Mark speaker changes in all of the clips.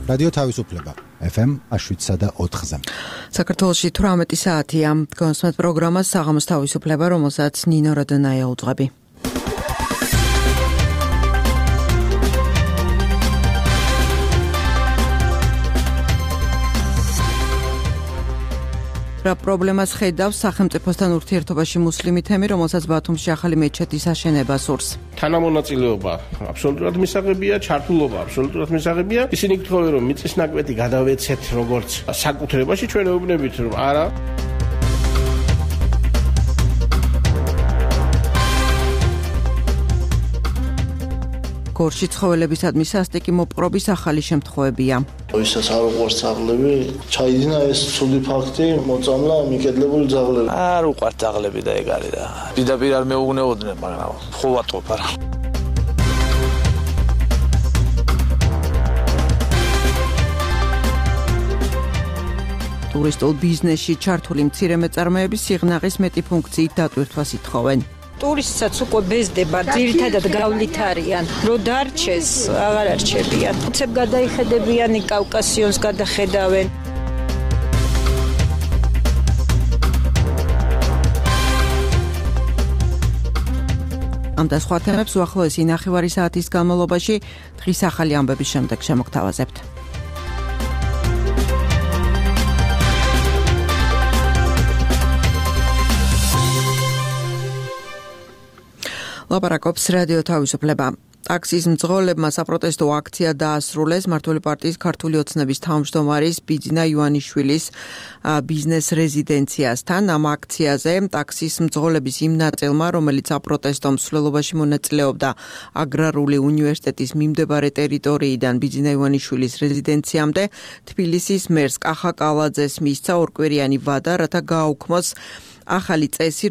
Speaker 1: რადიო თავისუფლება FM 7.4-ზე.
Speaker 2: საქართველოში 18 საათია. გონსმეთ პროგრამას საღამოს თავისუფლება, რომელსაც ნინო როდონაია უძღვები. პრობლემას ხედავს სახელმწიფოსთან ურთიერთობაში მუსლიმი თემი, რომელსაც ბათუმში ახალი მეჩეთის აშენება სურს.
Speaker 3: თანამონაწილეობა აბსოლუტურად მისაღებია, ჩართულობა აბსოლუტურად მისაღებია. ისინი გთხოვენ, რომ მიწის ნაკვეთი გადავეცეთ როგორც საკუთრებაში, ჩვენ ეუბნებით, რომ არა. გორში ცხოველებისადმი სასტიკი მოპყრობის ახალი შემთხვევებია.
Speaker 4: ვისაც არ უყვარს ძაღლები, ჩაიდინა ეს ცუდი ფაქტი, მოწამლა მიკედლებული ძაღლები.
Speaker 5: არ უყვართ ძაღლები და ეგ არის და პირდაპირ არ მეუგნეოდნენ, მაგრამ ხო ვატყობ არა.
Speaker 2: ტურისტულ ბიზნესში ჩართული მცირე მეწარმეების სიღნაღის მეტი ფუნქციით დატვირთვას ითხოვენ.
Speaker 6: ტურისტსაც უკვე ბეზდება, ძირითადად გავლით არიან. რო დარჩეს, აღარ არჩებიან. უცებ გადაიხედებიანი კავკასიონს გადახედავენ. ამ და სხვა თემებს უახლოესი ნახევარი საათის განმავლობაში დღის ახალი ამბების შემდეგ შემოგთავაზებთ. ლაპარაკობს რადიო თავისუფლება. ტაქსის მძღოლებმა საპროტესტო აქცია დაასრულეს მმართველი პარტიის ქართული ოცნების თავმჯდომარის ბიძინა ივანიშვილის ბიზნეს რეზიდენციასთან. ამ აქციაზე ტაქსის მძღოლების იმ ნაწილმა, რომელიც საპროტესტო მსვლელობაში მონაწილეობდა აგრარული უნივერსიტეტის მიმდებარე ტერიტორიიდან ბიძინა ივანიშვილის რეზიდენციამდე, თბილისის მერს კახა კალაძეს მისცა ორკვირიანი ვადა, რათა გააუქმოს ახალი წესი,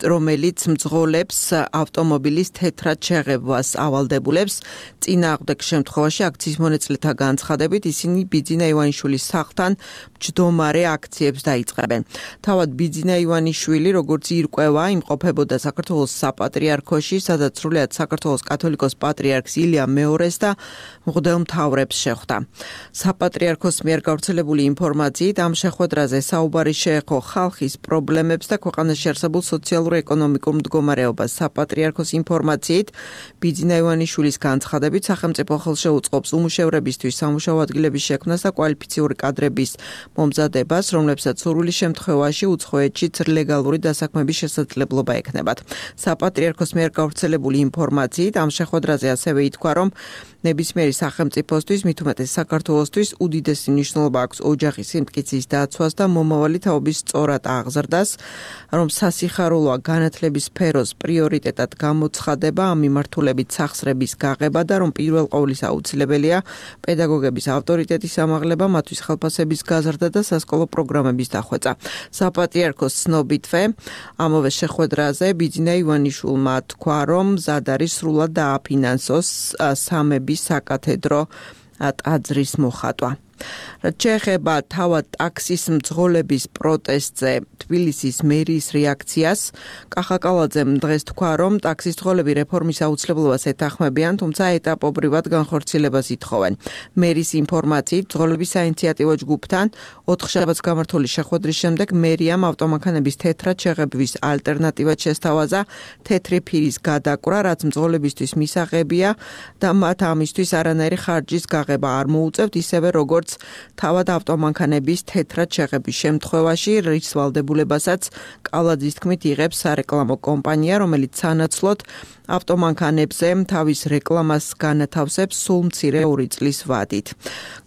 Speaker 6: რომელიც მძღოლებს ავტომობილის თეთრად შეღებვას ავალდებულებს. წინააღმდეგ შემთხვევაში აქციის მონაწილეთა განცხადებით ისინი ბიძინა ივანიშვილის სახლთან მჯდომარე აქციებს დაიწყებენ. თავად ბიძინა ივანიშვილი, როგორც ირკვევა, იმყოფებოდა საქართველოს საპატრიარქოში, სადაც სრულიად საქართველოს კათოლიკოს პატრიარქს ილია მეორეს და მღვდელმთავრებს შეხვდა. საპატრიარქოს მიერ გავრცელებული ინფორმაციით ამ შეხვედრაზე საუბარი შეეხო ხალხის პრობლემებს და ქვეყანაში არსებულ სოციალურ-ეკონომიკურ მდგომარეობას. საპატრიარქოს ინფორმაციით ბიძინა ივანიშვილის განცხადებით სახელმწიფო ხელშეუწყობს უმუშევრებისთვის სამუშაო ადგილების შექმნას და კვალიფიციური კადრების მომზადებას, რომლებსაც სურვილი შემთხვევაში უცხოეთშიც ლეგალური დასაქმების შესაძლებლობა ექნებათ. საპატრიარქოს მიერ გავრცელებული ინფორმაციით ამ შეხვედრაზე ასევე ითქვა, რომ ნებისმიერი სახელმწიფოსთვის, მით უმეტეს საქართველოსთვის უდიდესი მნიშვნელობა აქვს ოჯახის სიმტკიცის დაცვას და მომავალი თაობის სწორად აღზრდას, რომ სასიხარულოა განათლების სფეროს პრიორიტეტად გამოცხადება, ამ მიმართულებით სახსრების გაღება და რომ პირველ ყოვლისა აუცილებელია პედაგოგების ავტორიტეტის ამაღლება, მათთვის ხელფასების გაზრდა და სასკოლო პროგრამების დახვეწა. საპატრიარქოს ცნობითვე ამავე შეხვედრაზე ბიძინა ივანიშვილმა თქვა, რომ მზად არის სრულად დააფინანსოს სამების საკათედრო ტაძრის მოხატვა. რაც შეეხება თავად ტაქსის მძღოლების პროტესტზე თბილისის მერიის რეაქციას, კახა კალაძემ დღეს თქვა, რომ ტაქსის მძღოლები რეფორმის აუცილებლობას ეთანხმებიან, თუმცა ეტაპობრივად განხორციელებას ითხოვენ. მერის ინფორმაციით, მძღოლების საინიციატივო ჯგუფთან 4 შაბათს გამართული შეხვედრის შემდეგ მერიამ ავტომანქანების თეთრად შეღებვის ალტერნატივად შესთავაზა თეთრი ფირის გადაკვრა, რაც მძღოლებისთვის მისაღებია და მათ ამისთვის არანაირი ხარჯის გაღება არ მოუწევთ, ისევე როგორც თავად ავტომანქანების თეთრად შეღების შემთხვევაში, რის ვალდებულებასაც კალაძის თქმით იღებს სარეკლამო კომპანია, რომელიც სანაცვლოდ ავტომანქანებზე თავის რეკლამას განათავსებს სულ მცირე 2 წლის ვადით.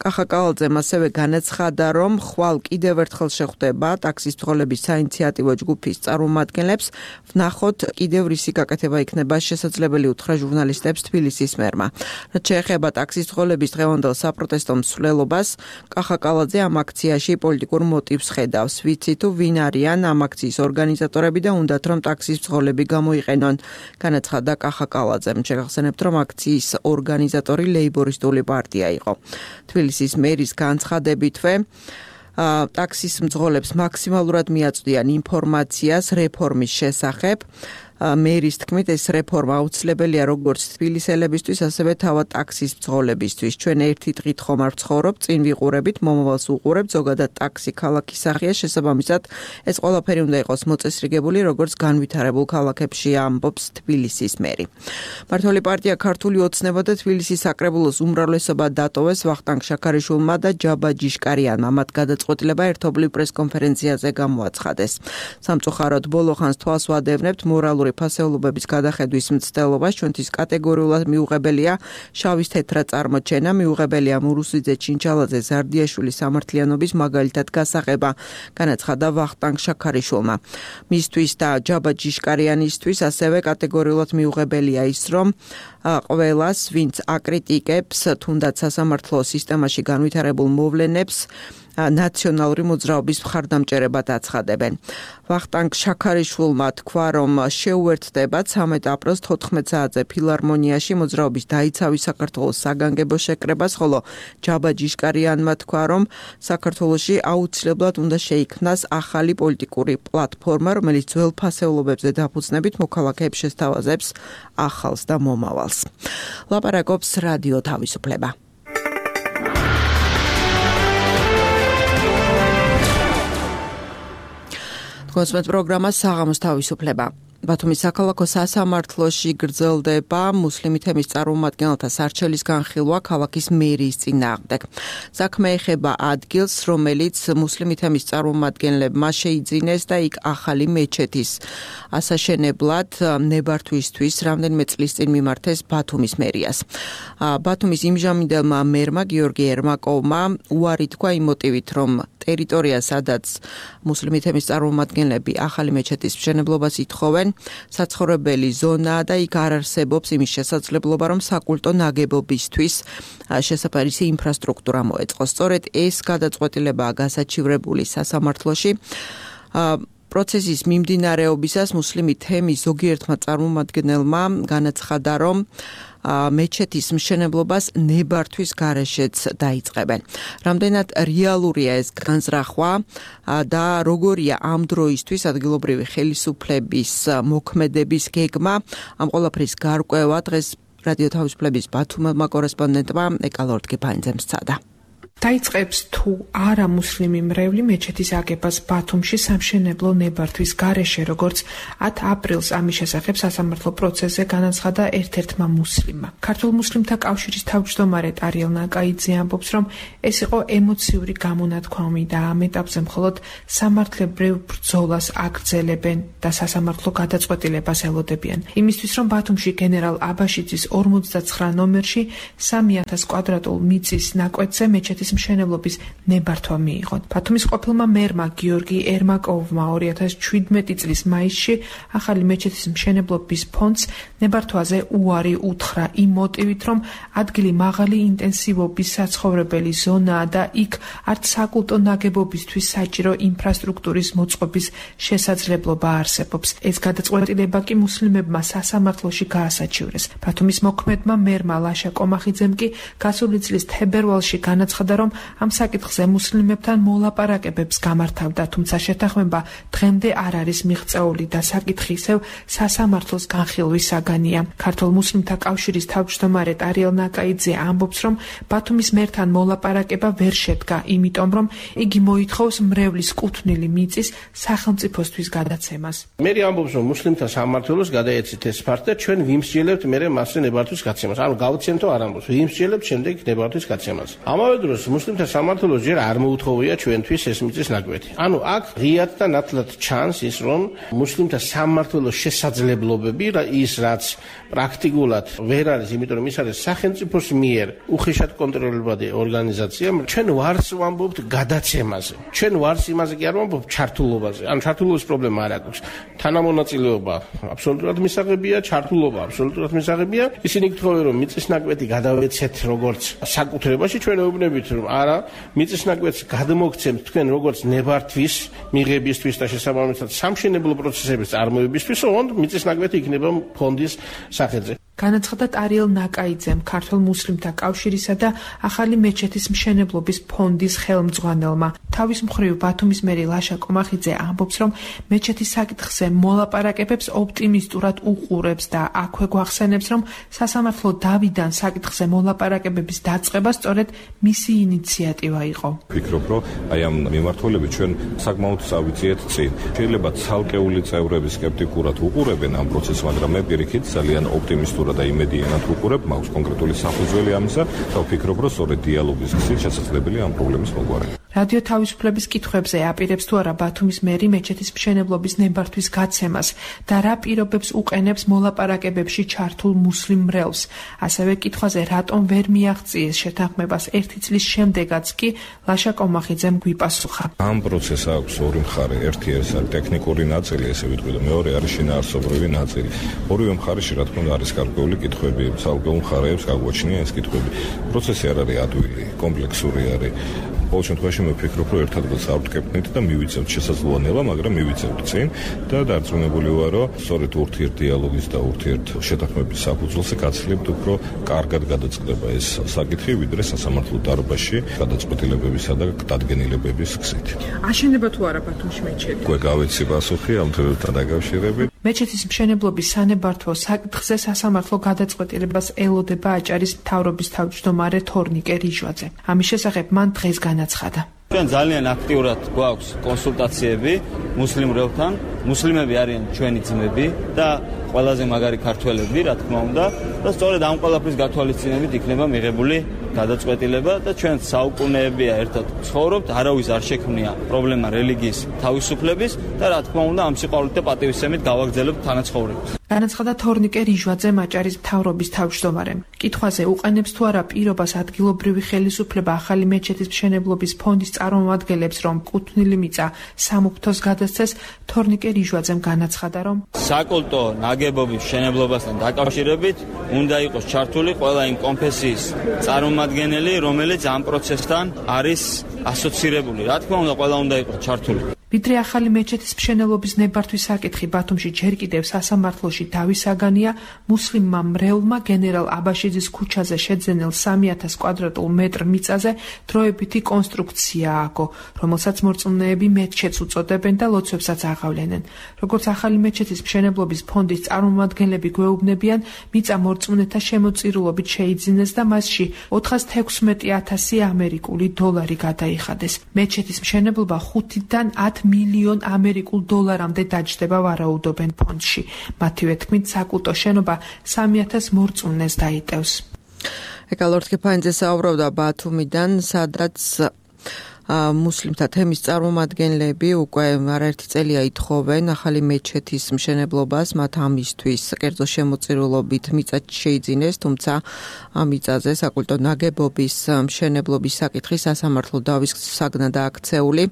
Speaker 6: კახა კალაძემ ასევე განაცხადა, რომ ხვალ კიდევ ერთხელ შეხვდება ტაქსის მძღოლების საინიციატივო ჯგუფის წარმომადგენლებს, ვნახოთ კიდევ რისი გაკეთება იქნება შესაძლებელი, უთხრა ჟურნალისტებს თბილისის მერმა. რაც შეეხება ტაქსის მძღოლების დღევანდელ საპროტესტო მსვლელობას, კახა კალაძე ამ აქციაში პოლიტიკურ მოტივს ხედავს. ვიცი თუ ვინ არიან ამ აქციის ორგანიზატორები და უნდათ რომ ტაქსის მძღოლები გამოიყენონ, განაცხადა კახა კალაძემ. შეგახსენებთ, რომ აქციის ორგანიზატორი ლეიბორისტული პარტია იყო. თბილისის მერის განცხადებითვე ტაქსის მძღოლებს მაქსიმალურად მიაწვდიან ინფორმაციას რეფორმის შესახებ მერის თქმით ეს რეფორმა აუცილებელია როგორც თბილისელებისთვის, ასევე თავად ტაქსის მძღოლებისთვის. ჩვენ ერთი დღით ხომ არ ვცხოვრობ, წინ ვიყურებით, მომავალს უყურებთ, ზოგადად ტაქსი ქალაქის სახეა, შესაბამისად ეს ყველაფერი უნდა იყოს მოწესრიგებული, როგორც განვითარებულ ქალაქებში, ამბობს თბილისის მერი. მმართველი პარტია ქართული ოცნება და თბილისის საკრებულოს უმრავლესობა დატოვეს ვახტანგ შაქარიშვილმა და ჯაბა ჯიშკარიანმა. მათ გადაწყვეტილება ერთობლივ პრესკონფერენციაზე გამოაცხადეს. სამწუხაროდ ბოლო ხანს თვალს ვადევნებთ მორალური ფასეულობების გადახედვის მცდელობას, ჩვენთვის კატეგორიულად მიუღებელია შავის თეთრად წარმოჩენა, მიუღებელია მურუსიძე ჩინჩალაძე ზარდიაშვილის სამართლიანობის მაგალითად გასაღება, განაცხადა ვახტანგ შაქარიშვილმა. მისთვის და ჯაბა ჯიშკარიანისთვის ასევე კატეგორიულად მიუღებელია ის, რომ ყველას, ვინც აკრიტიკებს თუნდაც სასამართლო სისტემაში განვითარებულ მოვლენებს, ნაციონალური მოძრაობის მხარდამჭერებად აცხადებენ. ვახტანგ შაქარიშვილმა თქვა, რომ შეუერთდება 13 აპრილს 14 საათზე ფილარმონიაში მოძრაობის დაიცავის საქართველოს საგანგებო შეკრებას, ხოლო ჯაბა ჯიშკარიანმა თქვა, რომ საქართველოში აუცილებლად უნდა შეიქმნას ახალი პოლიტიკური პლატფორმა, რომელიც ძველ ფასეულობებზე დაფუძნებით მოქალაქეებს შესთავაზებს ახალს და მომავალს. ლაპარაკობს რადიო თავისუფლება. კონსმეთ პროგრამა საღამოს თავისუფლება. ბათუმის საქალაქო სასამართლოში გრძელდება მუსლიმი თემის წარმომადგენელთა სარჩელის განხილვა ქალაქის მერიის წინააღმდეგ. საქმე ეხება ადგილს, რომელიც მუსლიმი თემის წარმომადგენლებმა შეიძინეს და იქ ახალი მეჩეთის ასაშენებლად ნებართვისთვის რამდენიმე წლის წინ მიმართეს ბათუმის მერიას. ბათუმის იმჟამინდელმა მერმა გიორგი ერმაკოვმა უარი თქვა იმ მოტივით, რომ ტერიტორია, სადაც მუსლიმი თემის წარმომადგენლები ახალი მეჩეთის მშენებლობას ითხოვენ, საცხოვრებელი ზონაა და იქ არ არსებობს იმის შესაძლებლობა, რომ საკულტო ნაგებობისთვის შესაფერისი ინფრასტრუქტურა მოეწყოს. სწორედ ეს გადაწყვეტილებაა გასაჩივრებული სასამართლოში. პროცესის მიმდინარეობისას მუსლიმი თემის ზოგიერთმა წარმომადგენელმა განაცხადა, რომ მეჩეთის მშენებლობას ნებართვის გარეშეც დაიწყებენ. რამდენად რეალურია ეს განზრახვა და როგორია ამ დროისთვის ადგილობრივი ხელისუფლების მოქმედების გეგმა, ამ ყველაფრის გარკვევა დღეს რადიო თავისუფლების ბათუმელმა კორესპონდენტმა ეკალორდგიფანიძემ სცადა.
Speaker 7: დაიწყებს თუ არა მუსლიმი მრევლი მეჩეთის აგებას ბათუმში სამშენებლო ნებართვის გარეშე, როგორც 10 აპრილს ამის შესახებ სასამართლო პროცესზე განაცხადა ერთ-ერთმა მუსლიმმა. ქართულ მუსლიმთა კავშირის თავმჯდომარე ტარიელ ნაკაიძე ამბობს, რომ ეს იყო ემოციური გამონათქვამი და ამ ეტაპზე მხოლოდ სამართლებრივ ბრძოლას აგრძელებენ და სასამართლო გადაწყვეტილებას ელოდებიან. იმისთვის, რომ ბათუმში გენერალ აბაშიძის 59 ნომერში 3000 კვადრატულ მიწის ნაკვეთზე მეჩეთის მშენებლობის ნებართვა მიიღო. ბათუმის ყოფილმა მერმა გიორგი ერმაკოვმა 2017 წლის მაისში ახალი მეჩეთის მშენებლობის ფონდს ნებართვაზე უარი უთხრა იმ მოტივით, რომ ადგილი მაღალი ინტენსივობის საცხოვრებელი ზონაა და იქ არც საკულტო ნაგებობისთვის საჭირო ინფრასტრუქტურის მოწყობის შესაძლებლობა არსებობს. ეს გადაწყვეტილება კი მუსლიმებმა სასამართლოში გაასაჩივრეს. ბათუმის მოქმედმა მერმა ლაშა კომახიძემ კი გასული წლის თებერვალში განაცხადა, რომ ამ საკითხზე მუსლიმებთან მოლაპარაკებებს გამართავდა, თუმცა შეთანხმება დღემდე არ არის მიღწეული და საკითხი ისევ სასამართლოს განხილვის საგანია. ქართულ მუსლიმთა კავშირის თავმჯდომარე ტარიელ ნაკაიძე ამბობს, რომ ბათუმის მერთან მოლაპარაკება ვერ შედგა, იმიტომ რომ იგი მოითხოვს მრევლის კუთვნილი მიწის სახელმწიფოსთვის გადაცემას.
Speaker 3: მერი ამბობს, რომ მუსლიმთა სამმართველოს გადაეცით ეს ფაქტი და ჩვენ ვიმსჯელებთ მერე მასზე ნებართვის გაცემას. ანუ გავცემთო არ ამბობს, ვიმსჯელებთ შემდეგ ნებართვის გაცემას. ამავე დროს მუსლიმთა სამმართველოს ჯერ არ მოუთხოვია ჩვენთვის ეს მიწის ნაკვეთი. ანუ აქ ღიად და ნათლად ჩანს ის, რომ მუსლიმთა სამმართველოს შესაძლებლობები ის რაც პრაქტიკულად ვერ არის, იმიტომ რომ ის არის სახელმწიფოს მიერ უხეშად კონტროლირებადი ორგანიზაცია. ჩვენ ვარს ვამბობთ გადაცემაზე. ჩვენ ვარს იმაზე კი არ ვამბობთ ჩართულობაზე. ანუ ჩართულობის პრობლემა არ აქვს. თანამონაწილეობა აბსოლუტურად მისაღებია, ჩართულობა აბსოლუტურად მისაღებია. ისინი გთხოვენ, რომ მიწის ნაკვეთი გადავეცეთ როგორც საკუთრებაში, ჩვენ ეუბნებით, რომ არა, მიწის ნაკვეთს გადმოგცემთ თქვენ როგორც ნებართვის მიღებისთვის და შესაბამისად სამშენებლო პროცესების წარმოებისთვის, ოღონდ მიწის ნაკვეთი იქნება ფონდის სახელზე.
Speaker 7: განაცხადა ტარიელ ნაკაიძემ, ქართველ მუსლიმთა კავშირისა და ახალი მეჩეთის მშენებლობის ფონდის ხელმძღვანელმა. თავის მხრივ ბათუმის მერი ლაშა კომახიძე ამბობს, რომ მეჩეთის საკითხზე მოლაპარაკებებს ოპტიმისტურად უყურებს და აქვე გვახსენებს, რომ სასამართლო დავიდან საკითხზე მოლაპარაკებების დაწყება სწორედ მისი ინიციატივა იყო.
Speaker 8: ვფიქრობ, რომ აი ამ მიმართულებით ჩვენ საკმაოდ წავიძიეთ წინ. შეიძლება ცალკეული წევრები სკეპტიკურად უყურებენ ამ პროცესს, მაგრამ მე პირიქით ძალიან ოპტიმისტურად და იმედიანად ვუყურებ, მაქვს კონკრეტული საფუძველი ამისა და ვფიქრობ, რომ სწორედ დიალოგის გზით შესაძლებელია ამ პრობლემის მოგვარება.
Speaker 7: რადიო თავისუფლების კითხვებზე აპირებს თუ არა ბათუმის მერი მეჩეთის მშენებლობის ნებართვის გაცემას და რა პირობებს უყენებს მოლაპარაკებებში ჩართულ მუსლიმ მრევლს. ასევე კითხვაზე რატომ ვერ მიაღწიეს შეთანხმებას 1 წლის შემდეგაც კი ლაშა კომახიძემ გვიპასუხა.
Speaker 8: ამ პროცესს აქვს ორი მხარე. ერთი არის ტექნიკური ნაწილი, ესე ვიტყვი და მეორე არის შინაარსობრივი ნაწილი. ორივე მხარეში რა თქმა უნდა არის გარკვეული კითხვები, ცალკეულ მხარეებს გაგვაჩნია ეს კითხვები. პროცესი არ არის ადვილი, კომპლექსური არის. ყოველ შემთხვევაში მე ვფიქრობ, რომ ერთ ადგილს ავტკეპნით და მივიწევთ შესაძლოა, მაგრამ მივიწევთ წინ და დარწმუნებული ვარ, რომ სწორედ ურთიერთდიალოგის და ურთიერთშეთანხმების საფუძველზე გაცლებთ უფრო კარგად გადაწყდება ეს საკითხი, ვიდრე სასამართლო დარბაზში გადაწყვეტილებებისა და დადგენილებების გზით.
Speaker 7: აშენება თუ არა ბათუმში მეჩეთი?
Speaker 8: უკვე გავეცი პასუხი ამ თემასთან დაკავშირებით.
Speaker 7: მეჩეთის მშენებლობის სანებართვო საკითხზე სასამართლო გადაწყვეტილებას ელოდება აჭარის მთავრობის თავმჯდომარე თორნიკე რიჟვაძე. ამის შესახებ მან დღეს განაცხადა.
Speaker 9: ჩვენ ძალიან აქტიურად გვაქვს კონსულტაციები მუსლიმ მრევლთან. მუსლიმები არიან ჩვენი ძმები და ყველაზე მაგარი ქართველები, რა თქმა უნდა, და სწორედ ამ ყველაფრის გათვალისწინებით იქნება მიღებული გადაწყვეტილება და ჩვენ საუკუნეებია ერთად ცხოვრობთ, არავის არ შექმნია პრობლემა რელიგიის თავისუფლების და რა თქმა უნდა ამ სიყვარულით და პატივისცემით გავაგრძელებთ თანაცხოვრებას.
Speaker 7: განაცხადა თორნიკე რიჟვაძემ აჭარის მთავრობის თავმჯდომარემ. კითხვაზე უყენებს თუ არა პირობას ადგილობრივი ხელისუფლება ახალი მეჩეთის მშენებლობის ფონდის წარმომადგენლებს, რომ კუთვნილი მიწა სამუფრთოს გადასცეს, თორნიკე რიჟვაძემ განაცხადა, რომ
Speaker 9: საკულტო ნაგებობის მშენებლობასთან დაკავშირებით უნდა იყოს ჩართული ყველა იმ კონფესიის წარმომადგენელი, რომელიც ამ პროცესთან არის ასოცირებული. რა თქმა უნდა, ყველა უნდა იყოს ჩართული.
Speaker 7: ვიდრე ახალი მეჩეთის მშენებლობის ნებართვის საკითხი ბათუმში ჯერ კიდევ სასამართლოში დავისაგანია, მუსლიმმა მრევლმა გენერალ აბაშიძის ქუჩაზე შეძენილ 3000 კვადრატულ მეტრ მიწაზე დროებითი კონსტრუქცია ააგო, რომელსაც მორწმუნეები მეჩეთს უწოდებენ და ლოცვებსაც აღავლენენ. როგორც ახალი მეჩეთის მშენებლობის ფონდის წარმომადგენლები გვეუბნებიან, მიწა მორწმუნეთა შემოწირულობით შეიძინეს და მასში 416,000 ამერიკული დოლარი გადაიხადეს. მეჩეთის მშენებლობა 5-დან 10 მილიონ ამერიკულ დოლარამდე დაჯდება ვარაუდობენ ფონდში. მათივე თქმით, საკულტო შენობა 3000 მორწმუნეს დაიტევს.
Speaker 2: ეკალორთკი ფაინძე საუბრობდა ბათუმიდან, სადაც მუსლიმთა თემის წარმომადგენლები უკვე არაერთი წელია ითხოვენ ახალი მეჩეთის მშენებლობას, მათ ამისთვის კერძო შემოწირულობით მიწა შეიძინეს, თუმცა ამ მიწაზე საკულტო ნაგებობის მშენებლობის საკითხი სასამართლო დავის საგნად აქცეული.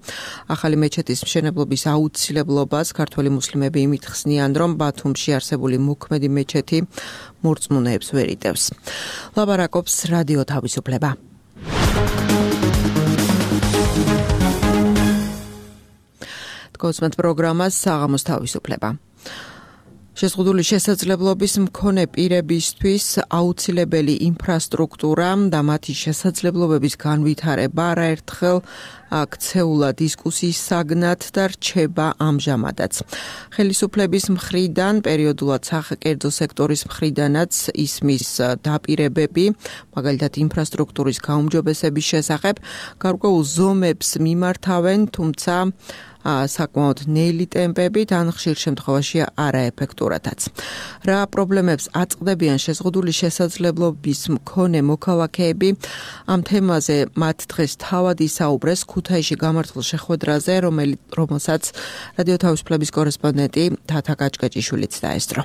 Speaker 2: ახალი მეჩეთის მშენებლობის აუცილებლობას ქართველი მუსლიმები იმით ხსნიან, რომ ბათუმში არსებული მოქმედი მეჩეთი მორწმუნეებს ვერ იტევს. ლაბარაკობს რადიო თავისუფლება. კონსუმენტ პროგრამას საღამოს თავისუფლება. შეზღუდული შესაძლებლობის მქონე პირებისთვის აუცილებელი ინფრასტრუქტურა და მათი შესაძლებლობების განვითარება არაერთხელ აქცეულა დისკუსიის საგნად და რჩება ამჟამადაც. ხელისუფლების მხრიდან, პერიოდულად საკერძო სექტორის მხრიდანაც ისმის დაპირებები, მაგალითად ინფრასტრუქტურის გაუმჯობესების შესახებ, გარკვეულ ზომებს მიმართავენ, თუმცა საკმაოდ ნელი ტემპებით, ან ხშირ შემთხვევაში არაეფექტურადაც. რა პრობლემებს აწყდებიან შეზღუდული შესაძლებლობის მქონე მოქალაქეები, ამ თემაზე მათ დღეს თავად ისაუბრეს ქუთაისში გამართულ შეხვედრაზე, რომელსაც რადიო თავისუფლების კორესპონდენტი თათა კაჭკაჭიშვილიც დაესწრო.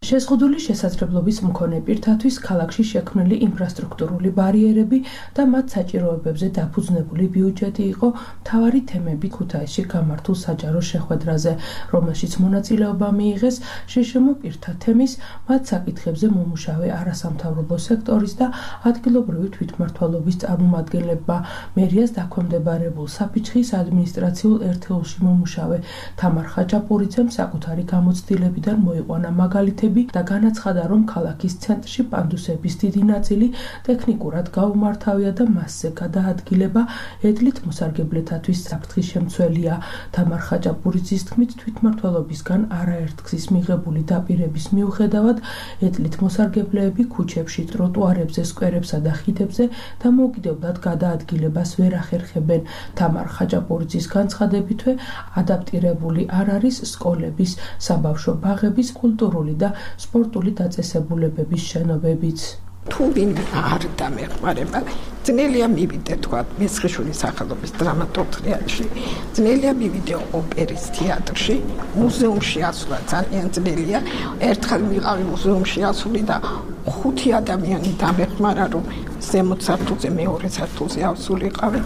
Speaker 10: შეზღუდული შესაძლებლობის მქონე პირთათვის ქალაქში შექმნილი ინფრასტრუქტურული ბარიერები და მათ საჭიროებებზე დაფუძნებული ბიუჯეტი იყო მთავარი თემები ქუთაისში გამართულ საჯარო შეხვედრაზე, რომელშიც მონაწილეობა მიიღეს შშმ პირთა თემის, მათ საკითხებზე მომუშავე არასამთავრობო სექტორის და ადგილობრივი თვითმმართველობის წარმომადგენლებმა, მერიას დაქვემდებარებულ საფიჩხის ადმინისტრაციულ ერთეულში მომუშავე თამარ ხაჭაპურიძემ საკუთარი გამოცდილებიდან მოიყვანა მაგალითები განცხადები და განაცხადა, რომ ქალაქის ცენტრში პანდუსების დიდი ნაწილი ტექნიკურად გაუმართავია და მასზე გადაადგილება ედლით მოსარგებლეთათვის საფრთხის შემცველია. თამარ ხაჭაპურიძის თქმით, თვითმმართველობისგან არაერთგზის მიღებული დაპირების მიუხედავად ედლით მოსარგებლეები ქუჩებში, ტროტუარებზე, სკვერებსა და ხიდებზე დამოუკიდებლად გადაადგილებას ვერ ახერხებენ. თამარ ხაჭაპურიძის განცხადებითვე ადაპტირებული არ არის სკოლების, საბავშვო ბაღების, კულტურული და სპორტული დაწესებულებების შენობებიც.
Speaker 11: თუ ვინმე არ დამეხმარება, ძნელია მივიდე თქვა მესხიშვილის სახელობის დრამატურგ თეატრში, ძნელია მივიდე ოპერის თეატრში, მუზეუმში ასვლა ძალიან ძნელია. ერთხელ მიყავი მუზეუმში ასული და 5 ადამიანი დამეხმარა, რომ ზემოთ სართულზე მეორე სართულზე ავსულიყავი.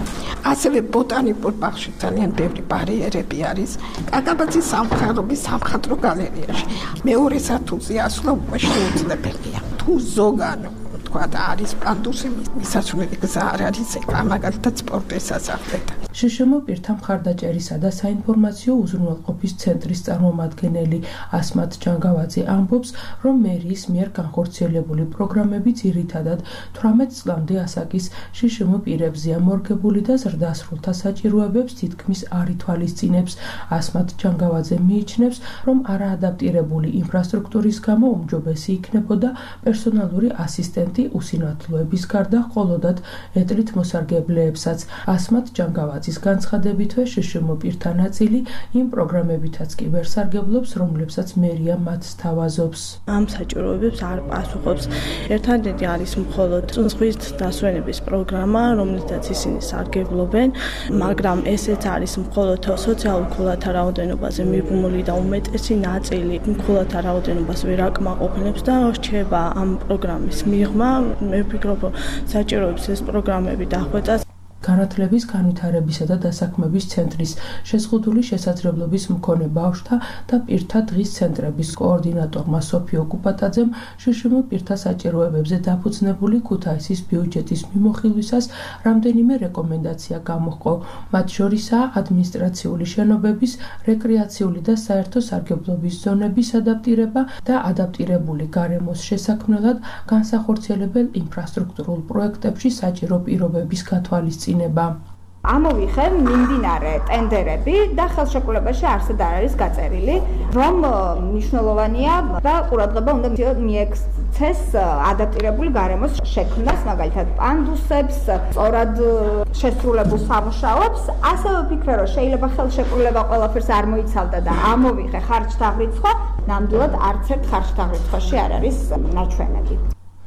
Speaker 11: ასევე ბოტანიკურ ბაღში ძალიან ბევრი ბარიერები არის. კაკაბაძის სამხარობის სამხატვრო გალერეაში მეორე სართულზე ასვლა უკვე შეუძლებელია. თუ ზოგან და არის პანდუსი მისასვლელი გზა არ არის მაგალითად სპორტის სასახლეთან.
Speaker 10: შშმ პირთა მხარდაჭერისა და საინფორმაციო უზრუნველყოფის ცენტრის წარმომადგენელი ასმათ ჯანგავაძე ამბობს, რომ მერიის მიერ განხორციელებული პროგრამები ძირითადად 18 წლამდე ასაკის შშმ პირებზეა მორგებული და ზრდასრულთა საჭიროებებს თითქმის არ ითვალისწინებს. ასმათ ჯანგავაძე მიიჩნევს, რომ არაადაპტირებული ინფრასტრუქტურის გამო უმჯობესი იქნებოდა პერსონალური ასისტენტი უსინათლოების გარდა მხოლოდად ედლით მოსარგებლეებსაც. ასმათ ჯანგავაძის განცხადებითვე შშმ პირთა ნაწილი იმ პროგრამებითაც კი ვერ სარგებლობს, რომლებსაც მერია მათ სთავაზობს.
Speaker 12: ამ საჭიროებებს არ პასუხობს. ერთადერთი არის მხოლოდ ზღვის დასვენების პროგრამა, რომლითაც ისინი სარგებლობენ, მაგრამ ესეც არის მხოლოდ სოციალურ ქულათა რაოდენობაზე მიბმული და უმეტესი ნაწილი ქულათა რაოდენობას ვერ აკმაყოფილებს და რჩება ამ პროგრამის მიღმა. მე ვფიქრობ, საჭიროებს ეს პროგრამები დახვეწას.
Speaker 10: განათლების, განვითარებისა და დასაქმების ცენტრის შეზღუდული შესაძლებლობის მქონე ბავშვთა და პირთა დღის ცენტრების კოორდინატორმა სოფიო კუპატაძემ შშმ პირთა საჭიროებებზე დაფუძნებული ქუთაისის ბიუჯეტის მიმოხილვისას რამდენიმე რეკომენდაცია გამოჰყო. მათ შორისაა ადმინისტრაციული შენობების, რეკრეაციული და საერთო სარგებლობის ზონების ადაპტირება და ადაპტირებული გარემოს შესაქმნელად განსახორციელებელ ინფრასტრუქტურულ პროექტებში საჭირო პირობების გათვალისწინება.
Speaker 13: ამოვიხე მიმდინარე ტენდერები და ხელშეკრულებაში არსად არ არის გაწერილი, რომ მნიშვნელოვანია და ყურადღება უნდა მიექცეს ადაპტირებული გარემოს შექმნას, მაგალითად პანდუსებს, სწორად შესრულებულ სამუშაოებს. ასევე ვფიქრე, რომ შეიძლება ხელშეკრულება ყველაფერს არ მოიცავდა და ამოვიხე ხარჯთაღრიცხვა, ნამდვილად არც ერთ ხარჯთაღრიცხვაში არ არის ნაჩვენები.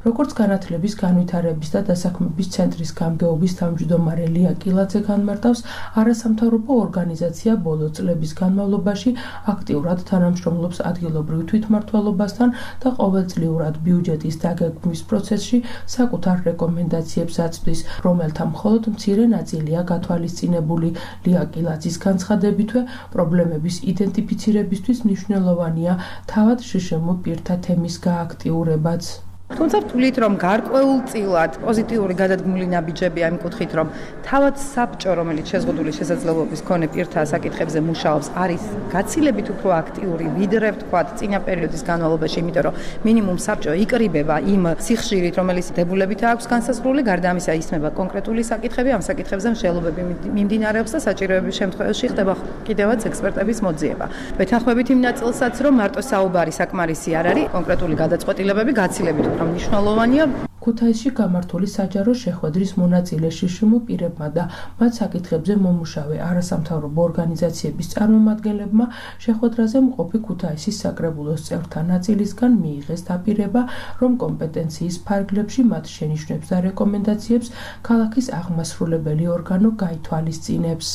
Speaker 10: როგორც განათლების, განვითარების და დასაქმების ცენტრის გამგეობის თავმჯდომარე ლია კილაძე განმარტავს, არასამთავრობო ორგანიზაცია ბოლო წლების განმავლობაში აქტიურად თანამშრომლობს ადგილობრივ თვითმმართველობასთან და ყოველწლიურად ბიუჯეტის დაგეგმვის პროცესში საკუთარ რეკომენდაციებს აწვდის, რომელთა მხოლოდ მცირე ნაწილია გათვალისწინებული. ლია კილაძის განცხადებითვე, პრობლემების იდენტიფიცირებისთვის მნიშვნელოვანია თავად შშმ პირთა თემის გააქტიურებაც.
Speaker 14: თუმცა ვთვლით, რომ გარკვეულწილად პოზიტიური გადადგმული ნაბიჯები ამ კუთხით, რომ თავად საბჭო, რომელიც შეზღუდული შესაძლებლობის მქონე პირთა საკითხებზე მუშაობს, არის გაცილებით უფრო აქტიური, ვიდრე ვთქვათ, წინა პერიოდის განმავლობაში, იმიტომ რომ მინიმუმ საბჭო იკრიბება იმ სიხშირით, რომელიც დებულებით აქვს განსაზღვრული, გარდა ამისა ისმება კონკრეტული საკითხები, ამ საკითხებზე მსჯელობები მიმდინარეობს და საჭიროების შემთხვევაში ხდება კიდევაც ექსპერტების მოძიება. ვეთანხმებით იმ ნაწილსაც, რომ მარტო საუბარი საკმარისი არ არის, კონკრეტული გადაწყვეტილებები გაცილებით მნიშვნელოვანია.
Speaker 10: ქუთაისში გამართული საჯარო შეხვედრის მონაწილე შშმ პირებმა და მათ საკითხებზე მომუშავე არასამთავრობო ორგანიზაციების წარმომადგენლებმა შეხვედრაზე მყოფი ქუთაისის საკრებულოს წევრთა ნაწილისგან მიიღეს დაპირება, რომ კომპეტენციის ფარგლებში მათ შენიშვნებს და რეკომენდაციებს ქალაქის აღმასრულებელი ორგანო გაითვალისწინებს.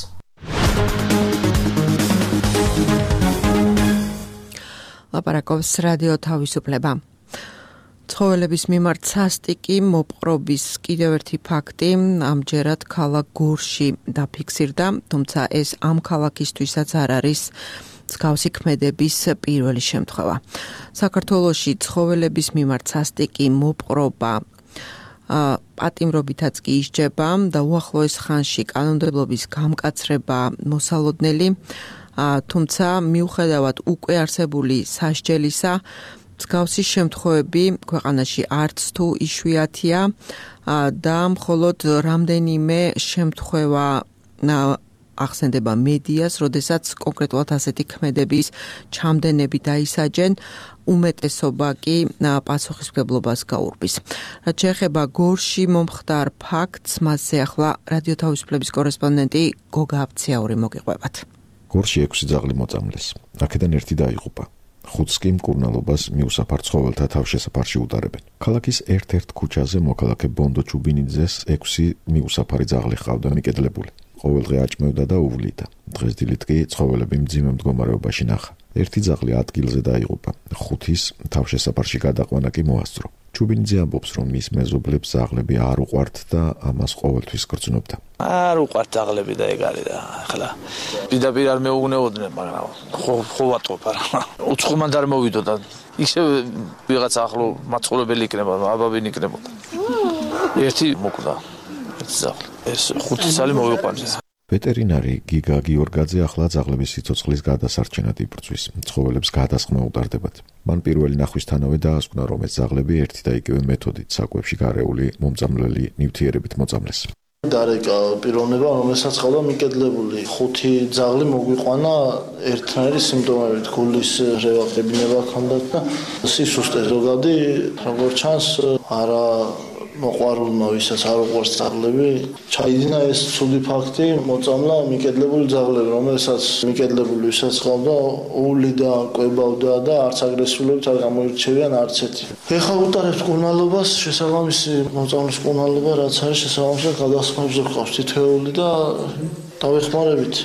Speaker 2: ლაპარაკობს რადიო თავისუფლება. ცხოველების მიმართ სასტიკი მოპყრობის კიდევ ერთი ფაქტი ამჯერად ქალაქ გურში დაფიქსირდა, თუმცა ეს ამ ქალაქისთვისაც არ არის მსგავსი ქმედების პირველი შემთხვევა. საქართველოში ცხოველების მიმართ სასტიკი მოპყრობა პატიმრობითაც კი ისჯება და უახლოეს ხანში კანონმდებლობის გამკაცრება მოსალოდნელი, თუმცა მიუხედავად უკვე არსებული სასჯელისა, მსგავსი შემთხვევები ქვეყანაში არც თუ იშვიათია და მხოლოდ რამდენიმე შემთხვევა ახსენდება მედიას, როდესაც კონკრეტულად ასეთი ქმედების ჩამდენები დაისაჯენ, უმეტესობა კი პასუხისმგებლობას გაურბის. რაც შეეხება გორში მომხდარ ფაქტს, მასზე ახლა რადიო თავისუფლების კორესპონდენტი გოგა აბციაური მოგიყვებათ.
Speaker 15: გორში 6 ძაღლი მოწამლეს. აქედან ერთი დაიღუპა. 5 კი მკურნალობას მიუსაფარ ცხოველთა თავშესაფარში უტარებენ. ქალაქის ერთ-ერთ ქუჩაზე მოქალაქე ბონდო ჩუბინიძეს 6 მიუსაფარი ძაღლი ჰყავდა მიკედლებული. ყოველდღე აჭმევდა და უვლიდა. დღეს დილით კი ცხოველები მძიმე მდგომარეობაში ნახა. ერთი ძაღლი ადგილზე დაიღუპა. 5-ის თავშესაფარში გადაყვანა კი მოასწრო. ჩუბინიძე ამბობს, რომ მის მეზობლებს ძაღლები არ უყვართ და ამას ყოველთვის გრძნობდა.
Speaker 5: არ უყვართ ძაღლები და ეგ არის და ახლა პირდაპირ არ მეუგნეოდნენ, მაგრამ ხო ვატყობ არა. უცხომად არ მოვიდო და ისე ვიღაც ახლო მაცხოვრებელი იქნება, აბაბინი იქნებოდა. ერთი მოკვდა. ძაღლი. ეს 5 წელი მოვიყვანეს.
Speaker 15: ვეტერინარი გიგა გიორგაძე ახლა ძაღლების სიცოცხლის გადასარჩენად იბრძვის. ცხოველებს გადასხმა უტარდებათ. მან პირველი ნახვისთანავე დაასკვნა, რომ ეს ძაღლები ერთი და იგივე მეთოდით საკვებში გარეული მომწამლელი ნივთიერებით მოწამლეს.
Speaker 4: დარეკა პიროვნება, რომელსაც ყავდა მიკედლებული. 5 ძაღლი მოგვიყვანა ერთნაირი სიმპტომებით, გულის რევაკებინება ჰქონდათ და სისუსტე ზოგადი, როგორც ჩანს, არა მოყვარულმა, ვისაც არ უყვარს ძაღლები, ჩაიდინა ეს ცუდი ფაქტი, მოწამლა მიკედლებული ძაღლები, რომელსაც მიკედლებული ვისაც ყავდა, უვლიდა, კვებავდა და არც აგრესიულობით არ გამოირჩევიან არც ერთი. ეხლა უტარებს მკურნალობას, შესაბამისი მოწამლის მკურნალობა, რაც არის შესაბამისად გადასხმებზე გვყავს თითოეული და დავეხმარებით.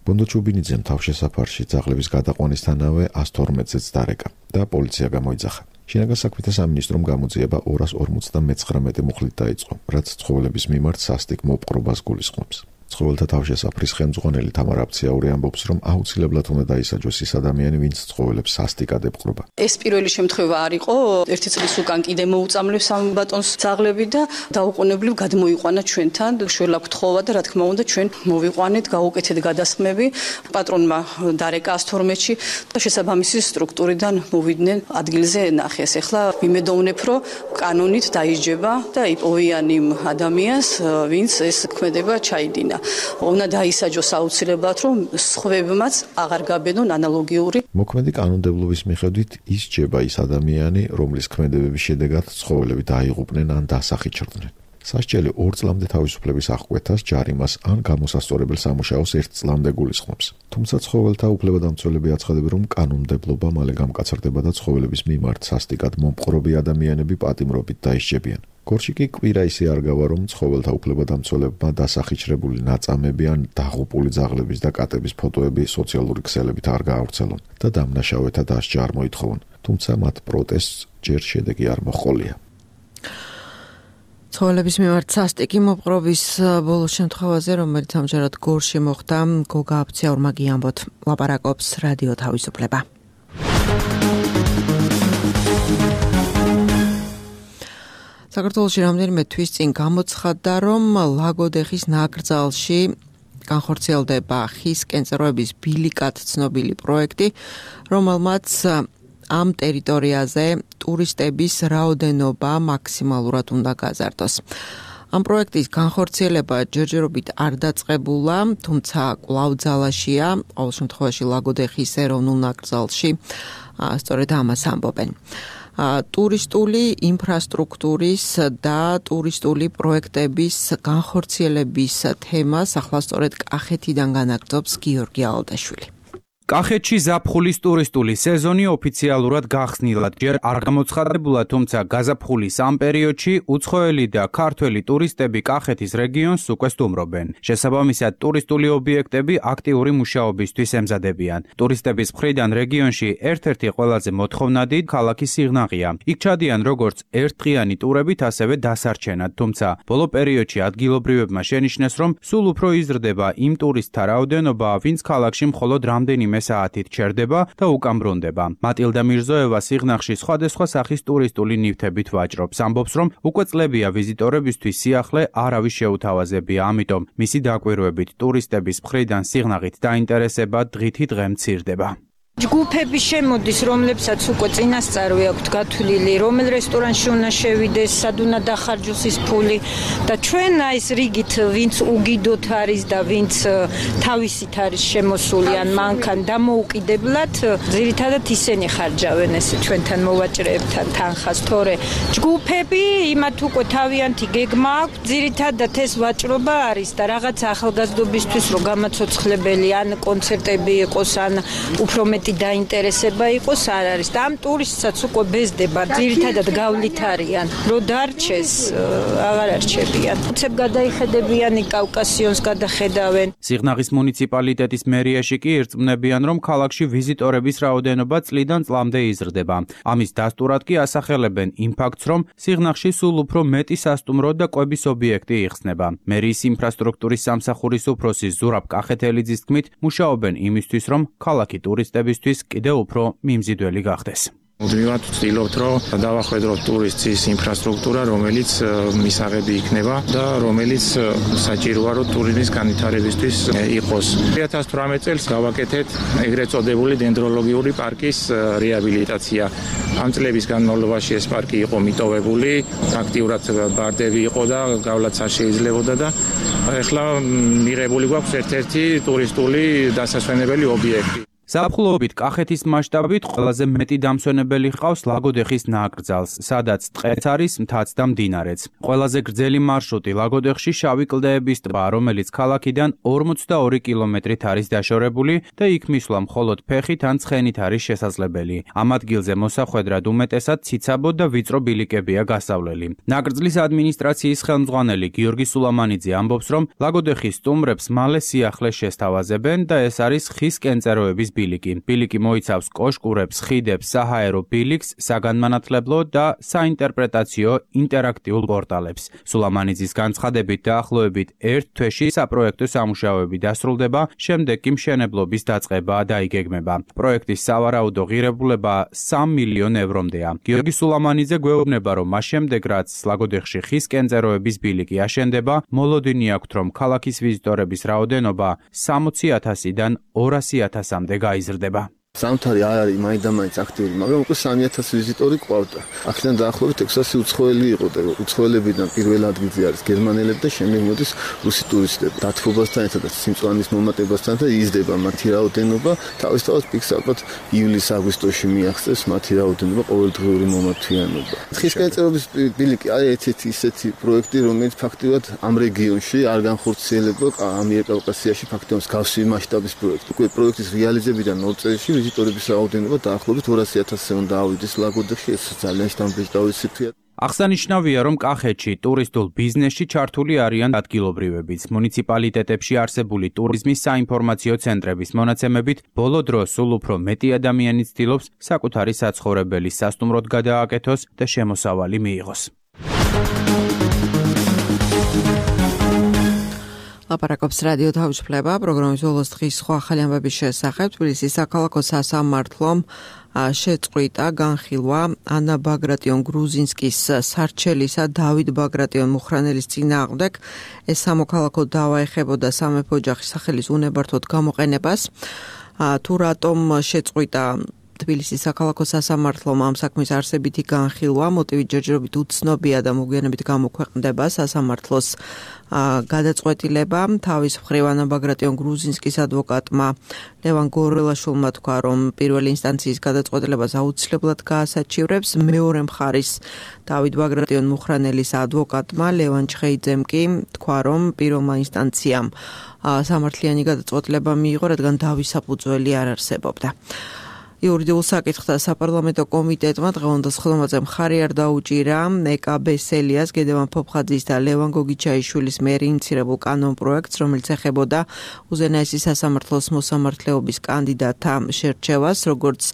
Speaker 15: ბონდო ჩუბინიძემ თავშესაფარში ძაღლების გადაყვანისთანავე 112-ზეც დარეკა და პოლიცია გამოიძახა. შინაგან საქმეთა სამინისტრომ გამოძიება 259 მუხლით დაიწყო, რაც ცხოველების მიმართ სასტიკ მოპყრობას გულისხმობს. ცხოველთა თავშესაფრის ხელმძღვანელი თამარ აბციაური ამბობს, რომ აუცილებლად უნდა დაისაჯოს ის ადამიანი, ვინც ცხოველებს სასტიკად ეპყრობა.
Speaker 16: ეს პირველი შემთხვევა არ იყო, ერთი წლის უკან კიდე მოუწამლებს ამ ბატონს ძაღლები და დაუყოვნებლივ გადმოიყვანა ჩვენთან, შველა გთხოვა და რა თქმა უნდა ჩვენ მოვიყვანეთ, გაუკეთეთ გადასხმები, პატრონმა დარეკა 112-ში და შესაბამისი სტრუქტურიდან მოვიდნენ ადგილზე ნახეს. ეხლა ვიმედოვნებ, რომ კანონით დაიჯება და იპოვიან იმ ადამიანს, ვინც ეს ქმედება ჩაიდინა. უნდა დაისაჯოს აუცილებლად, რომ სხვებმაც აღარ გაბედონ ანალოგიური.
Speaker 15: მოქმედი კანონმდებლობის მიხედვით ისჯება ის ადამიანი, რომლის ქმედებების შედეგად ცხოველები დაიღუპნენ ან დასახიჩრდნენ. სასჯელი 2 წლამდე თავისუფლების აღკვეთას, ჯარიმას ან გამოსასწორებელ სამუშაოს 1 წლამდე გულისხმობს. თუმცა ცხოველთა უფლებადამცველები აცხადებენ, რომ კანონმდებლობა მალე გამკაცრდება და ცხოველების მიმართ სასტიკად მომპყრობი ადამიანები პატიმრობით დაისჯებიან. გორში კი კვირა ისე არ გავა, რომ ცხოველთა უფლებადამცველებმა დასახიჩრებული ნაწამები ან დაღუპული ძაღლების და კატების ფოტოები სოციალური ქსელებით არ გაავრცელონ და დამნაშავეთა დასჯა არ მოითხოვონ. თუმცა მათ პროტესტს ჯერ შედეგი არ მოჰყოლია.
Speaker 2: ცხოველების მიმართ სასტიკი მოპყრობის ბოლო შემთხვევაზე, რომელიც ამჯერად გორში მოხდა, გოგა აბციაურმა გიამბოთ, ლაპარაკობს რადიო თავისუფლება. საქართველოში რამდენიმე თვის წინ გამოცხადდა, რომ ლაგოდეხის ნაკრძალში განხორციელდება ხის კენწეროების ბილიკად ცნობილი პროექტი, რომელმაც ამ ტერიტორიაზე ტურისტების რაოდენობა მაქსიმალურად უნდა გაზარდოს. ამ პროექტის განხორციელება ჯერჯერობით არ დაწყებულა, თუმცა კვლავ ძალაშია, ყოველ შემთხვევაში ლაგოდეხის ეროვნულ ნაკრძალში, სწორედ ამას ამბობენ. ტურისტული ინფრასტრუქტურის და ტურისტული პროექტების განხორციელების თემას ახლა სწორედ კახეთიდან განაგრძობს გიორგი ალდაშვილი.
Speaker 17: კახეთში ზაფხულის ტურისტული სეზონი ოფიციალურად გახსნილად ჯერ არ გამოცხადებულა, თუმცა გაზაფხულის ამ პერიოდში უცხოელი და ქართველი ტურისტები კახეთის რეგიონს უკვე სტუმრობენ. შესაბამისად, ტურისტული ობიექტები აქტიური მუშაობისთვის ემზადებიან. ტურისტების მხრიდან რეგიონში ერთ-ერთი ყველაზე მოთხოვნადი ქალაქი სიღნაღია. იქ ჩადიან როგორც ერთდღიანი ტურებით, ასევე დასარჩენად, თუმცა ბოლო პერიოდში ადგილობრივებმა შენიშნეს, რომ სულ უფრო იზრდება იმ ტურისტთა რაოდენობა, ვინც ქალაქში მხოლოდ რამდენიმე საათით ჩერდება და უკან ბრუნდება. მატილდა მირზოევა სიღნაღში სხვადასხვა სახის ტურისტული ნივთებით ვაჭრობს. ამბობს, რომ უკვე წლებია ვიზიტორებისთვის სიახლე არავის შეუთავაზებია, ამიტომ მისი დაკვირვებით ტურისტების მხრიდან სიღნაღით დაინტერესება დღითი დღე მცირდება.
Speaker 18: ჯგუფები შემოდის, რომლებსაც უკვე წინასწარი აქვთ გათვლილი, რომელ რესტორანში უნდა შევიდეს, სად უნდა დახარჯოს ის ფული და ჩვენ ეს რიგით ვინც უგიდოთ არის და ვინც თავისით არის შემოსული ან მანქან დამოუკიდებლად, ძირითადად ისინი ხარჯავენ ეს ჩვენთან მოვაჭრეებთან თანხას, თორე ჯგუფები იმათ უკვე თავიანთი გეგმა აქვს, ძირითადად ეს ვაჭრობა არის და რაღაც ახალგაზრდობისთვის რო გამაცოცხლებელი ან კონცერტები იყოს ან უფრო მეტი დაინტერესება იყოს არ არის და ამ ტურისტსაც უკვე ბეზდება ძირითადად გავლით არიან რო დარჩეს აღარ არჩებიან უცებ გადაიხედებიანი კავკასიონს გადახედავენ
Speaker 17: სიღნაღის მუნიციპალიტეტის მერიაში კი ირწმუნებიან რომ ქალაქში ვიზიტორების რაოდენობა წლიდან წლამდე იზრდება ამის დასტურად კი ასახელებენ იმ ფაქტს რომ სიღნაღში სულ უფრო მეტი სასტუმრო და კვების ობიექტი იხსნება მერიის ინფრასტრუქტურის სამსახურის უფროსი ზურაბ კახეთელიძის თქმით მუშაობენ იმისთვის რომ ქალაქი ტურისტების კიდევ უფრო მიმზიდველი გახდეს.
Speaker 19: მუდმივად ვცდილობთ, რომ დავახვედროთ ტურისტის ინფრასტრუქტურა, რომელიც მისაღები იქნება და რომელიც საჭიროა, რომ ტურიზმის განვითარებისთვის იყოს. 2018 წელს გავაკეთეთ ეგრეთ წოდებული დენდროლოგიური პარკის რეაბილიტაცია. ამ წლების განმავლობაში ეს პარკი იყო მიტოვებული, აქტიურად ბარდები იყო და გავლაც არ შეიძლებოდა და ეხლა მიღებული გვაქვს ერთ-ერთი ტურისტული დასასვენებელი ობიექტი.
Speaker 17: ზაფხულობით კახეთის მასშტაბით ყველაზე მეტი დამსვენებელი ჰყავს ლაგოდეხის ნაკრძალს, სადაც ტყეც არის, მთაც და მდინარეც. ყველაზე გრძელი მარშრუტი ლაგოდეხში შავი კლდეების ტბა, რომელიც ქალაქიდან 42 კილომეტრით არის დაშორებული და იქ მისვლა მხოლოდ ფეხით ან ცხენით არის შესაძლებელი. ამ ადგილზე მოსახვედრად უმეტესად ციცაბო და ვიწრო ბილიკებია გასავლელი. ნაკრძლის ადმინისტრაციის ხელმძღვანელი გიორგი სულამანიძე ამბობს, რომ ლაგოდეხის სტუმრებს მალე სიახლე შესთავაზებენ და ეს არის ხის კენწეროების ბილიკი მოიცავს კოშკურებს, ხიდებს, საჰაერო ბილიკს, საგანმანათლებლო და საინტერპრეტაციო ინტერაქტიულ პორტალებს. სულამანიძის განცხადებით დაახლოებით ერთ თვეში საპროექტო სამუშაოები დასრულდება, შემდეგ კი მშენებლობის დაწყება დაიგეგმება. პროექტის სავარაუდო ღირებულება 3 მილიონ ევრომდეა. გიორგი სულამანიძე გვეუბნება, რომ მას შემდეგ რაც ლაგოდეხში ხის კენწეროების ბილიკი აშენდება, მოლოდინი აქვთ, რომ ქალაქის ვიზიტორების რაოდენობა 60,000-დან 200,000-მდე გაიზრდება.
Speaker 20: ზამთარი არ არის მაინდამაინც აქტიური, მაგრამ უკვე 3,000 ვიზიტორი ყავდა. აქედან დაახლოებით 600 უცხოელი იყო და უცხოელებიდან პირველ ადგილზე არის გერმანელები და შემდეგ მოდის რუსი ტურისტები. დათბობასთან ერთად და სიმწვანის მომატებასთან და იზრდება მათი რაოდენობა. თავისთავად პიკს ალბათ ივლის-აგვისტოში მიაღწევს მათი რაოდენობა ყოველდღიური მომართვიანობა. ხის კენწეროების ბილიკი არის ერთ-ერთი ისეთი პროექტი, რომელიც ფაქტიურად ამ რეგიონში არ განხორციელება ამიერკავკასიაში ფაქტიურად მსგავსი მასშტაბის პროექტი. უკვე პროექტის რეალიზებიდან 0 წელში ვიზიტორების რაოდენობა დაახლოებით 200,000-ზე უნდა ავიდეს ლაგოდეხში, ეს ძალიან შთამბეჭდავი ციფრია.
Speaker 17: აღსანიშნავია, რომ კახეთში ტურისტულ ბიზნესში ჩართული არიან ადგილობრივებიც. მუნიციპალიტეტებში არსებული ტურიზმის საინფორმაციო ცენტრების მონაცემებით, ბოლო დროს სულ უფრო მეტი ადამიანი ცდილობს საკუთარი საცხოვრებელი სასტუმროდ გადააკეთოს და შემოსავალი მიიღოს.
Speaker 2: ლაპარაკობს რადიო თავისუფლება, პროგრამის ბოლოს დღის სხვა ახალი ამბების შესახებ. თბილისის საქალაქო სასამართლომ შეწყვიტა განხილვა ანა ბაგრატიონ გრუზინსკის სარჩელისა დავით ბაგრატიონ მუხრანელის წინააღმდეგ. ეს სამოქალაქო დავა ეხებოდა სამეფო ოჯახის სახელის უნებართვოდ გამოყენებას. თუ რატომ შეწყვიტა თბილისის საქალაქო სასამართლომ ამ საქმის არსებითი განხილვა, მოტივი ჯერჯერობით უცნობია და მოგვიანებით გამოქვეყნდება სასამართლოს გადაწყვეტილება. თავის მხრივ ანა ბაგრატიონ გრუზინსკის ადვოკატმა ლევან გორელაშვილმა თქვა, რომ პირველი ინსტანციის გადაწყვეტილებას აუცილებლად გაასაჩივრებს. მეორე მხარის დავით ბაგრატიონ მუხრანელის ადვოკატმა ლევან ჩხეიძემ კი თქვა, რომ პირველმა ინსტანციამ სამართლიანი გადაწყვეტილება მიიღო, რადგან დავის საფუძველი არ არსებობდა. იურიდიულ საკითხთა საპარლამენტო კომიტეტმა დღევანდელ ხელმოწერაზე მხარი არ დაუჭირა ეკა ბესელიას, გედევან ფოფხაძის და ლევან გოგიჩაიშვილის მიერ ინიცირებულ კანონპროექტს, რომელიც ეხებოდა უზენაესი სასამართლოს მოსამართლეობის კანდიდატთა შერჩევას, როგორც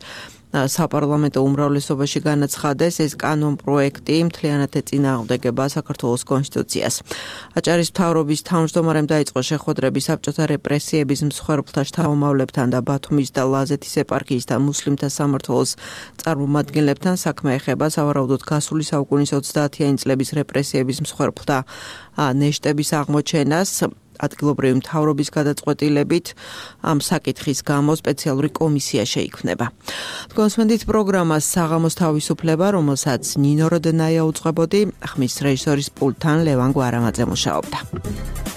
Speaker 2: საპარლამენტო უმრავლესობაში განაცხადეს, ეს კანონპროექტი მთლიანად ეწინააღმდეგება საქართველოს კონსტიტუციას. აჭარის მთავრობის თავმჯდომარემ დაიწყო შეხვედრები საბჭოთა რეპრესიების მსხვერპლთა შთამომავლებთან და ბათუმის და ლაზეთის ეპარქიის და მუსლიმთა სამმართველოს წარმომადგენლებთან. საქმე ეხება სავარაუდოდ გასული საუკუნის 30-იანი წლების რეპრესიების მსხვერპლთა ნეშტების აღმოჩენას. ადგილობრივი მთავრობის გადაწყვეტილებით ამ საკითხის გამო სპეციალური კომისია შეიქმნება. კონსვენდით პროგრამას საღამოს თავისუფლება, რომელსაც ნინო როდენაია უძღვებოდი, ხმის რეჟისორის პულტთან ლევან გვარამაძე მუშაობდა.